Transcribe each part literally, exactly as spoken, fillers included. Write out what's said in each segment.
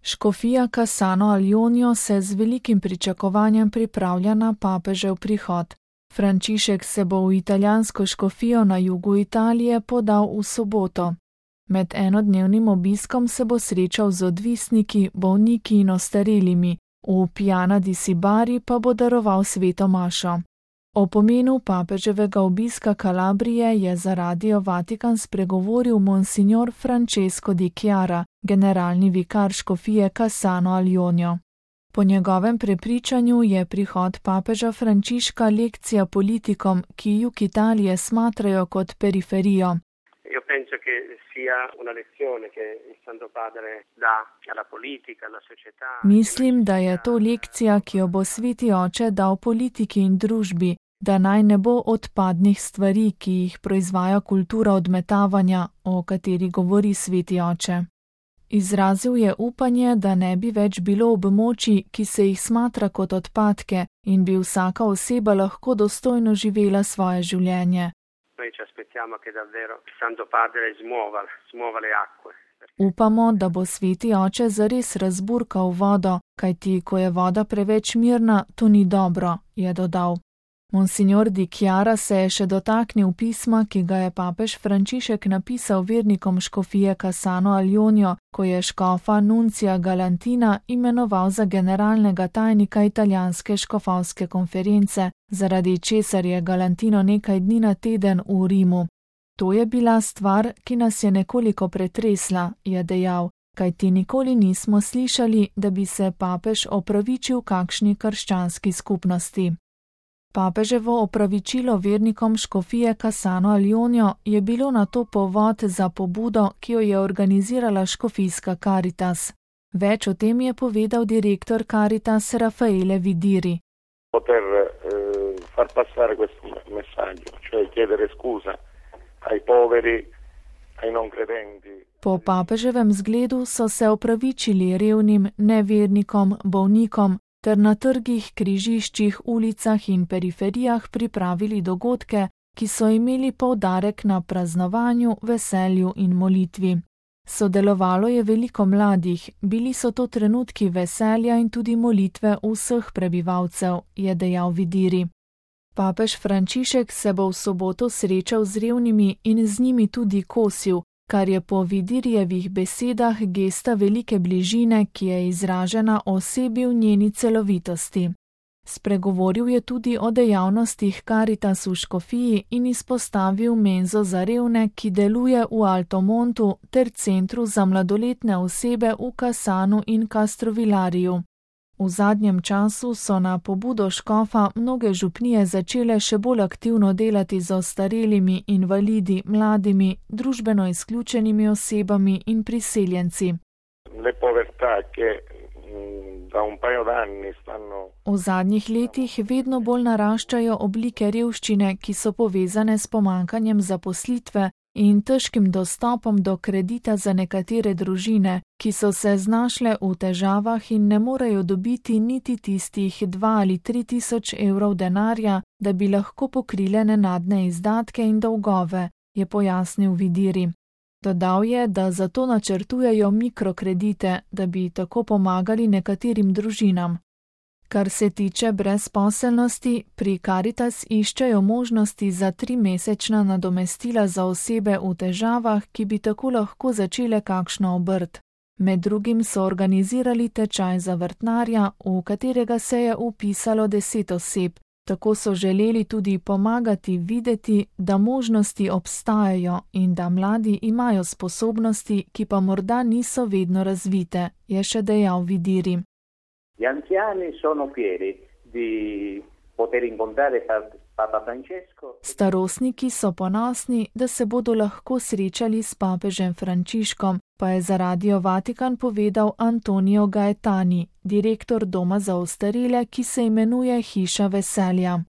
Škofija Cassano al Jonio se z velikim pričakovanjem pripravlja na papežev prihod. Frančišek se bo v italijansko škofijo na jugu Italije podal v soboto. Med enodnevnim obiskom se bo srečal z odvisniki, bolniki in ostarelimi, v Piana di Sibari pa bo daroval sveto mašo. O pomenu papeževega obiska Kalabrije je za Radio Vatikan spregovoril monsignor Francesco di Chiara, generalni vikar škofije Cassano al Jonio. Po njegovem prepričanju je prihod papeža Frančiška lekcija politikom, ki jug Italije smatrajo kot periferijo. Io penso che sia una lezione che il Santo Padre dà alla politica, alla società. Mislim, da je to lekcija, ki jo bo sveti oče dal politiki in družbi, da naj ne bo odpadnih stvari, ki jih proizvaja kultura odmetavanja, o kateri govori sveti oče. Izrazil je upanje, da ne bi več bilo območij, ki se jih smatra kot odpadke in bi vsaka oseba lahko dostojno živela svoje življenje. Noi ci aspettiamo che davvero il Santo Padre smuova, smuova le acque. Upamo, da bo sveti oče zares razburkal vodo, kajti ko je voda preveč mirna, to ni dobro, je dodal. Monsignor di Chiara se je še dotaknil pisma, ki ga je papež Frančišek napisal vernikom škofije Cassano al Jonio, ko je škofa Nuncija Galantina imenoval za generalnega tajnika italijanske škofovske konference, zaradi česar je Galantino nekaj dni na teden v Rimu. To je bila stvar, ki nas je nekoliko pretresla, je dejal, kajti nikoli nismo slišali, da bi se papež opravičil kakšni krščanski skupnosti. Papeževo opravičilo vernikom škofije Cassano al Jonio je bilo na to povod za pobudo, ki jo je organizirala škofijska Caritas. Več o tem je povedal direktor Caritas Raffaele Vidiri. Poter eh, far passare questo messaggio, cioè chiedere scusa ai poveri, ai non credenti. Po papeževem zgledu so se opravičili revnim, nevernikom, bolnikom, ter na trgih, križiščih, ulicah in periferijah pripravili dogodke, ki so imeli poudarek na praznovanju, veselju in molitvi. Sodelovalo je veliko mladih, bili so to trenutki veselja in tudi molitve vseh prebivalcev, je dejal Vidiri. Papež Frančišek se bo v soboto srečal z revnimi in z njimi tudi kosil, kar je po Vidirijevih besedah gesta velike bližine, ki je izražena osebi v njeni celovitosti. Spregovoril je tudi o dejavnostih Caritas v škofiji in izpostavil menzo za revne, ki deluje v Altomontu ter centru za mladoletne osebe v Cassanu in Castrovillariju. V zadnjem času so na pobudo škofa mnoge župnije začele še bolj aktivno delati z ostarelimi, invalidi, mladimi, družbeno izključenimi osebami in priseljenci. Le povertà che da un paio d'anni stanno. V zadnjih letih vedno bolj naraščajo oblike revščine, ki so povezane s pomankanjem zaposlitve in težkim dostopom do kredita za nekatere družine, ki so se znašle v težavah in ne morejo dobiti niti tistih dva ali tri tisoč evrov denarja, da bi lahko pokrile nenadne izdatke in dolgove, je pojasnil Vidiri. Dodal je, da zato načrtujejo mikrokredite, da bi tako pomagali nekaterim družinam. Kar se tiče brezposelnosti, pri Caritas iščejo možnosti za trimesečna nadomestila za osebe v težavah, ki bi tako lahko začele kakšno obrt. Med drugim so organizirali tečaj za vrtnarja, v katerega se je vpisalo deset oseb. Tako so želeli tudi pomagati videti, da možnosti obstajajo in da mladi imajo sposobnosti, ki pa morda niso vedno razvite, je še dejal Vidiri. Gli anziani sono fieri di poter incontrare Papa Francesco. Starostniki so ponosni, da se bodo lahko srečali s papežem Frančiškom, pa je za Radio Vatikan povedal Antonio Gaetani, direktor doma za ostarele, ki se imenuje Hiša veselja.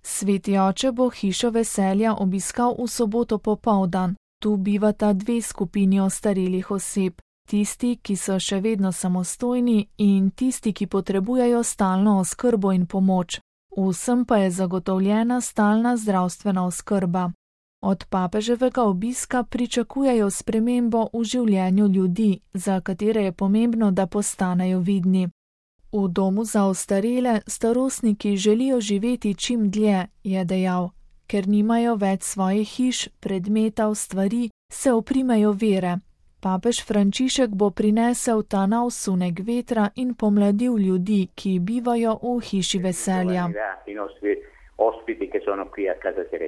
Sveti oče bo Hišo veselja obiskal v soboto popoldan. Tu bivata dve skupini ostarelih oseb. Tisti, ki so še vedno samostojni in tisti, ki potrebujejo stalno oskrbo in pomoč. Vsem pa je zagotovljena stalna zdravstvena oskrba. Od papeževega obiska pričakujejo spremembo v življenju ljudi, za katere je pomembno, da postanejo vidni. V domu za ostarele starostniki želijo živeti čim dlje, je dejal. Ker nimajo več svojih hiš, predmetov, stvari, se oprimejo vere. Papež Frančišek bo prinesel ta nov sunek vetra in pomladil ljudi, ki bivajo v hiši veselja. I nostri ospiti che sono qui a Casa Serena.